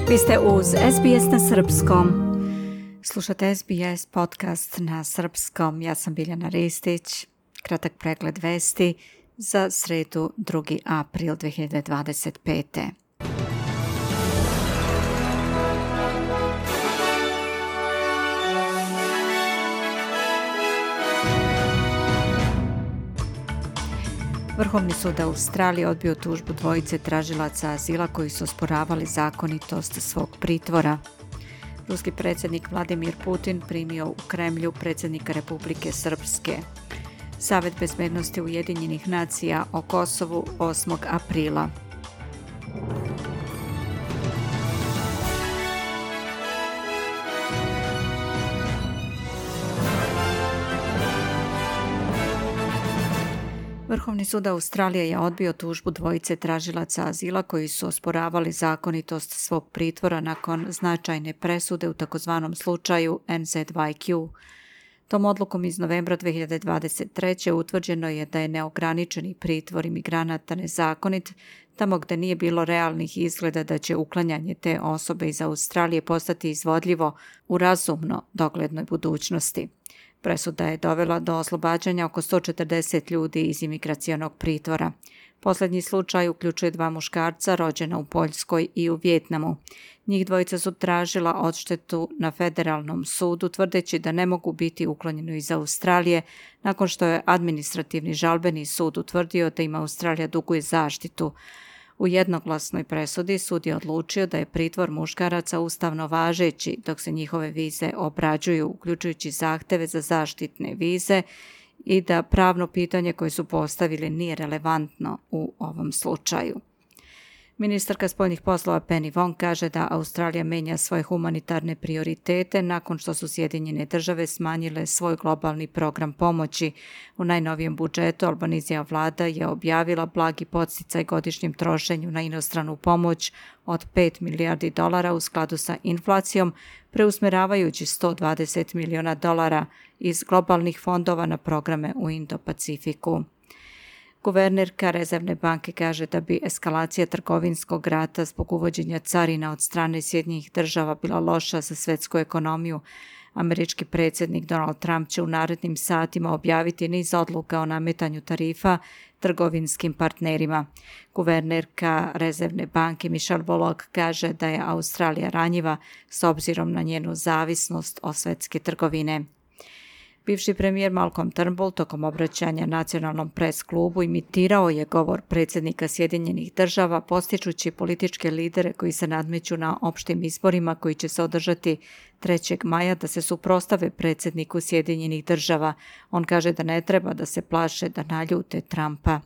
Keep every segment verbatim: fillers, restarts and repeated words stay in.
Vi ste uz S B S na srpskom. Slušate S B S podcast na srpskom. Ja sam Biljana Ristić. Kratak pregled vesti za sredu drugi april dve hiljade dvadeset pete. Vrhovni sud Australije odbio tužbu dvojice tražilaca azila koji su osporavali zakonitost svog pritvora. Ruski predsjednik Vladimir Putin primio u Kremlju predsjednika Republike Srpske. Savet bezbednosti Ujedinjenih nacija o Kosovu osmog aprila. Vrhovni sud Australije je odbio tužbu dvojice tražilaca azila koji su osporavali zakonitost svog pritvora nakon značajne presude u takozvanom slučaju N Z Y Q. Tom odlukom iz novembra dve hiljade dvadeset treće utvrđeno je da je neograničeni pritvor imigranata nezakonit tamo gdje nije bilo realnih izgleda da će uklanjanje te osobe iz Australije postati izvodljivo u razumno doglednoj budućnosti. Presuda je dovela do oslobađanja oko sto četrdeset ljudi iz imigracionog pritvora. Posljednji slučaj uključuje dva muškarca rođena u Poljskoj i u Vijetnamu. Njih dvojica su tražila odštetu na federalnom sudu tvrdeći da ne mogu biti uklonjeni iz Australije nakon što je administrativni žalbeni sud utvrdio da im Australija duguje zaštitu. U jednoglasnoj presudi sud je odlučio da je pritvor muškaraca ustavno važeći dok se njihove vize obrađuju, uključujući zahteve za zaštitne vize, i da pravno pitanje koje su postavili nije relevantno u ovom slučaju. Ministarka spoljnih poslova Penny Wong kaže da Australija menja svoje humanitarne prioritete nakon što su Sjedinjene države smanjile svoj globalni program pomoći. U najnovijem budžetu Albanizijeva vlada je objavila blagi podsticaj godišnjem trošenju na inostranu pomoć od pet milijardi dolara u skladu sa inflacijom, preusmeravajući sto dvadeset miliona dolara iz globalnih fondova na programe u Indo-Pacifiku. Guvernerka Rezervne banke kaže da bi eskalacija trgovinskog rata zbog uvođenja carina od strane Sjedinjenih država bila loša za svjetsku ekonomiju. Američki predsjednik Donald Trump će u narednim satima objaviti niz odluka o nametanju tarifa trgovinskim partnerima. Guvernerka Rezervne banke Michelle Bullock kaže da je Australija ranjiva s obzirom na njenu zavisnost od svjetske trgovine. Bivši premijer Malcolm Turnbull tokom obraćanja nacionalnom pres klubu imitirao je govor predsjednika Sjedinjenih država postičući političke lidere koji se nadmeću na opštim izborima koji će se održati trećeg maja da se suprotstave predsjedniku Sjedinjenih država. On kaže da ne treba da se plaše da naljute Trumpa.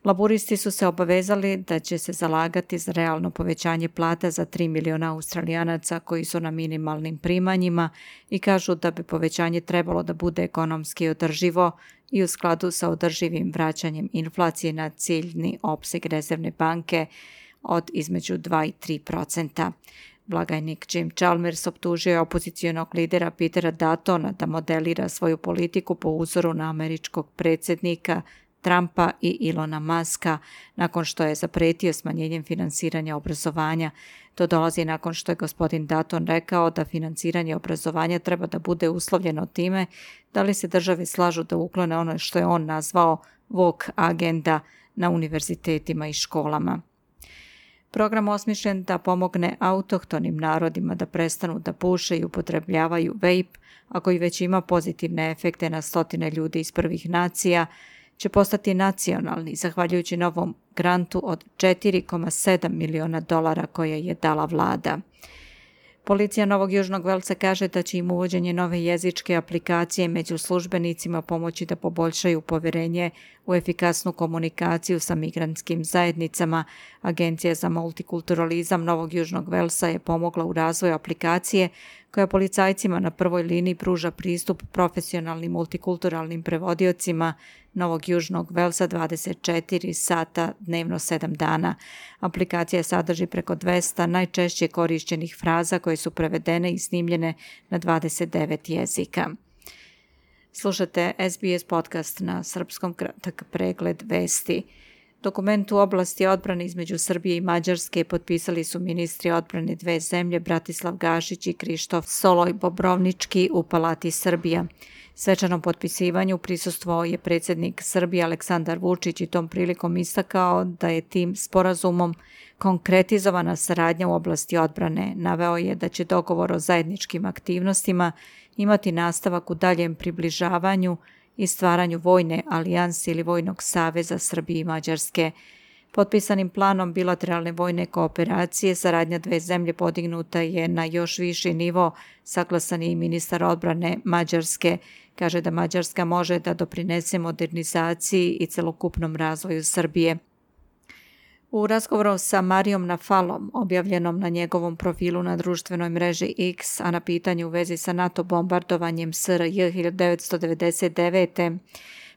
Laburisti su se obavezali da će se zalagati za realno povećanje plata za tri miliona Australijanaca koji su na minimalnim primanjima i kažu da bi povećanje trebalo da bude ekonomski održivo i u skladu sa održivim vraćanjem inflacije na ciljni opseg Rezervne banke od između dva i tri procenta. Blagajnik Jim Chalmers optužio je opozicijonog lidera Petera Duttona da modelira svoju politiku po uzoru na američkog predsjednika Trumpa i Elona Muska nakon što je zapretio smanjenjem finansiranja obrazovanja. To dolazi nakon što je gospodin Dutton rekao da finansiranje obrazovanja treba da bude uslovljeno time da li se države slažu da uklone ono što je on nazvao woke agenda na univerzitetima i školama. Program osmišljen da pomogne autohtonim narodima da prestanu da puše i upotrebljavaju vape, a koji već ima pozitivne efekte na stotine ljudi iz prvih nacija, će postati nacionalni, zahvaljujući novom grantu od četiri zarez sedam miliona dolara koje je dala vlada. Policija Novog Južnog Velsa kaže da će im uvođenje nove jezičke aplikacije među službenicima pomoći da poboljšaju poverenje u efikasnu komunikaciju sa migrantskim zajednicama. Agencija za multikulturalizam Novog Južnog Velsa je pomogla u razvoju aplikacije koja policajcima na prvoj liniji pruža pristup profesionalnim multikulturalnim prevodiocima Novog Južnog Velsa dvadeset četiri sata dnevno sedam dana. Aplikacija sadrži preko dvesta najčešće korišćenih fraza koje su prevedene i snimljene na dvadeset devet jezika. Slušate S B S podcast na srpskom, kratak pregled vesti. Dokument u oblasti odbrane između Srbije i Mađarske potpisali su ministri odbrane dve zemlje Bratislav Gašić i Krištof Soloj Bobrovnički u Palati Srbija. Svečanom potpisivanju prisustvovao je predsjednik Srbije Aleksandar Vučić i tom prilikom istakao da je tim sporazumom konkretizovana saradnja u oblasti odbrane. Naveo je da će dogovor o zajedničkim aktivnostima imati nastavak u daljem približavanju i stvaranju vojne alijanse ili vojnog saveza Srbije i Mađarske. Potpisanim planom bilateralne vojne kooperacije saradnja dve zemlje podignuta je na još viši nivo, saglasan je i ministar odbrane Mađarske. Kaže da Mađarska može da doprinese modernizaciji i celokupnom razvoju Srbije. U razgovoru sa Marijom Nafalom, objavljenom na njegovom profilu na društvenoj mreži X, a na pitanju u vezi sa NATO bombardovanjem S R J hiljadu devetsto devedeset devete.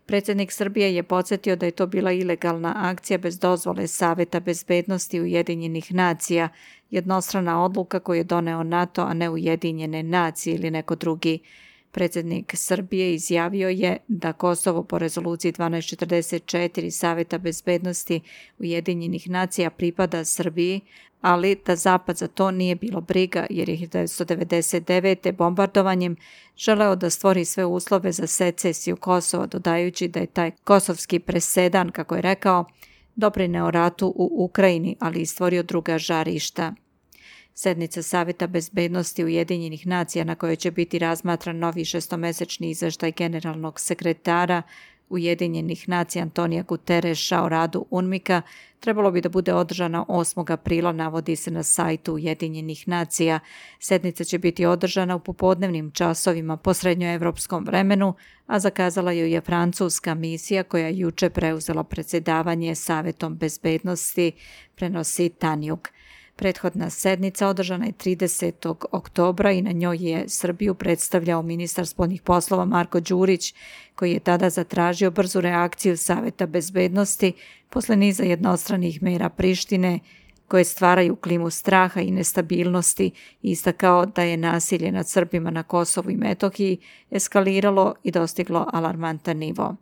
Predsjednik Srbije je podsjetio da je to bila ilegalna akcija bez dozvole Saveta bezbednosti Ujedinjenih nacija, jednostrana odluka koju je doneo NATO, a ne Ujedinjene nacije ili neko drugi. Predsjednik Srbije izjavio je da Kosovo po rezoluciji dvanaest četrdeset četiri Saveta bezbednosti Ujedinjenih nacija pripada Srbiji, ali da Zapad za to nije bilo briga jer je hiljadu devetsto devedeset devete bombardovanjem želeo da stvori sve uslove za secesiju Kosova, dodajući da je taj kosovski presedan, kako je rekao, doprineo ratu u Ukrajini, ali i stvorio druga žarišta. Sednica Saveta bezbednosti Ujedinjenih nacija na kojoj će biti razmatran novi šestomesečni izveštaj generalnog sekretara Ujedinjenih nacija Antonija Gutereša o radu UNMIK-a trebalo bi da bude održana osmog aprila, navodi se na sajtu Ujedinjenih nacija. Sednica će biti održana u popodnevnim časovima po srednjoevropskom vremenu, a zakazala ju je francuska misija koja je juče preuzela predsjedavanje Savetom bezbednosti, prenosi Tanjug. Prethodna sednica održana je tridesetog oktobra i na njoj je Srbiju predstavljao ministar spoljnih poslova Marko Đurić, koji je tada zatražio brzu reakciju Saveta bezbednosti posle niza jednostranih mera Prištine koje stvaraju klimu straha i nestabilnosti i istakao da je nasilje nad Srbima na Kosovu i Metohiji eskaliralo i dostiglo alarmantan nivo.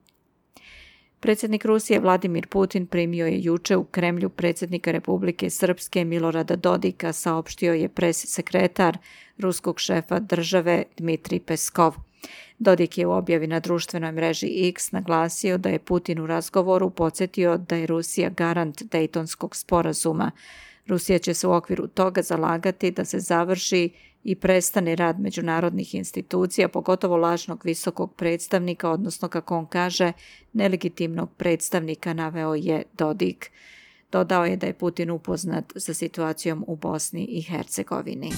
Predsjednik Rusije Vladimir Putin primio je juče u Kremlju predsjednika Republike Srpske Milorada Dodika, saopštio je pres sekretar ruskog šefa države Dmitrij Peskov. Dodik je u objavi na društvenoj mreži X naglasio da je Putin u razgovoru podsjetio da je Rusija garant Dejtonskog sporazuma. Rusija će se u okviru toga zalagati da se završi i prestane rad međunarodnih institucija, pogotovo lažnog visokog predstavnika, odnosno, kako on kaže, nelegitimnog predstavnika, naveo je Dodik. Dodao je da je Putin upoznat sa situacijom u Bosni i Hercegovini.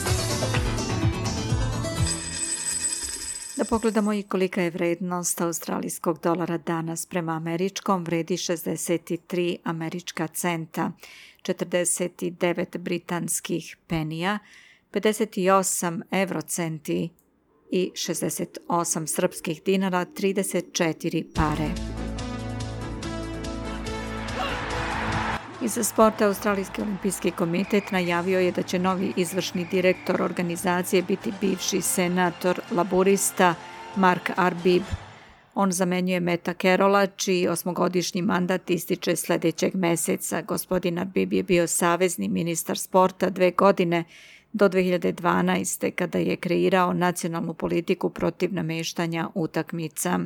Da pogledamo i kolika je vrednost australijskog dolara danas prema američkom, vredi šezdeset tri američka centa, četrdeset devet britanskih penija, pedeset osam eurocenti i šezdeset osam srpskih dinara, trideset četiri pare. Iz sporta Australijski olimpijski komitet najavio je da će novi izvršni direktor organizacije biti bivši senator laburista Mark Arbib. On zamenjuje Meta Carola, čiji osmogodišnji mandat ističe sljedećeg meseca. Gospodin Arbib je bio savezni ministar sporta dve godine do dve hiljade dvanaeste. kada je kreirao nacionalnu politiku protiv nameštanja utakmica.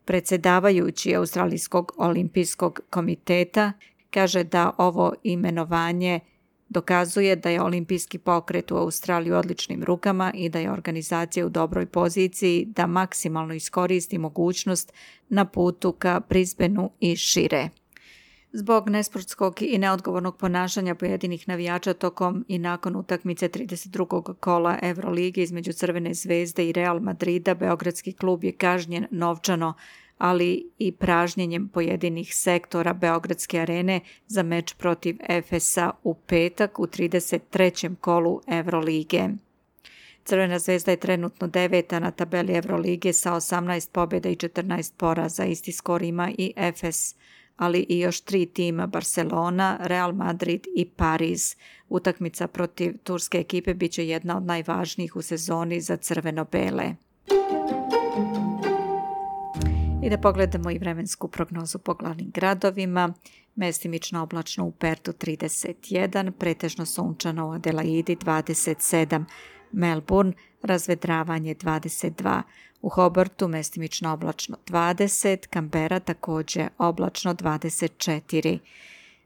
Predsjedavajući Australijskog olimpijskog komiteta kaže da ovo imenovanje dokazuje da je olimpijski pokret u Australiji u odličnim rukama i da je organizacija u dobroj poziciji da maksimalno iskoristi mogućnost na putu ka Brisbaneu i šire. Zbog nesportskog i neodgovornog ponašanja pojedinih navijača tokom i nakon utakmice trideset drugog kola Evrolige između Crvene zvezde i Real Madrida, beogradski klub je kažnjen novčano, ali i pražnjenjem pojedinih sektora Beogradske arene za meč protiv Efesa u petak u trideset trećem kolu Evrolige. Crvena zvezda je trenutno deveta na tabeli Evrolige sa osamnaest pobjeda i četrnaest poraza. Isti skor ima i Efes, ali i još tri tima Barcelona, Real Madrid i Pariz. Utakmica protiv turske ekipe bit će jedna od najvažnijih u sezoni za crveno-bele. I da pogledamo i vremensku prognozu po glavnim gradovima. mestimično oblačno u Pertu trideset jedan, pretežno sunčano u Adelaidi dvadeset sedam, Melbourne razvedravanje dvadeset dva, u Hobartu mestimično oblačno dvadeset, Canberra također oblačno dvadeset četiri,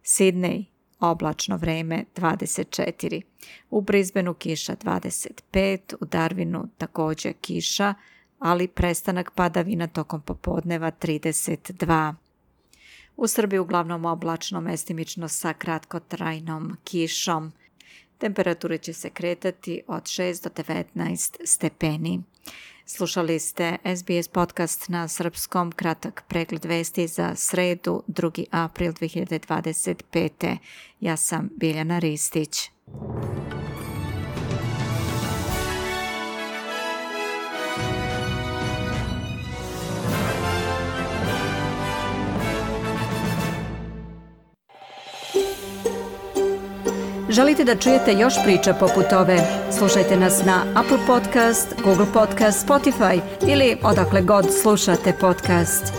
Sydney oblačno vreme dvadeset četiri, u Brisbaneu kiša dvadeset pet, u Darwinu također kiša, ali prestanak padavina tokom popodneva trideset dva. U Srbiji uglavnom oblačno, mestimično sa kratkotrajnom kišom. Temperature će se kretati od šest do devetnaest stepeni. Slušali ste S B S podcast na srpskom, kratak pregled vesti za sredu, drugi april dve hiljade dvadeset pete. Ja sam Biljana Ristić. Želite da čujete još priča poput ove? Slušajte nas na Apple Podcast, Google Podcast, Spotify ili odakle god slušate podcast.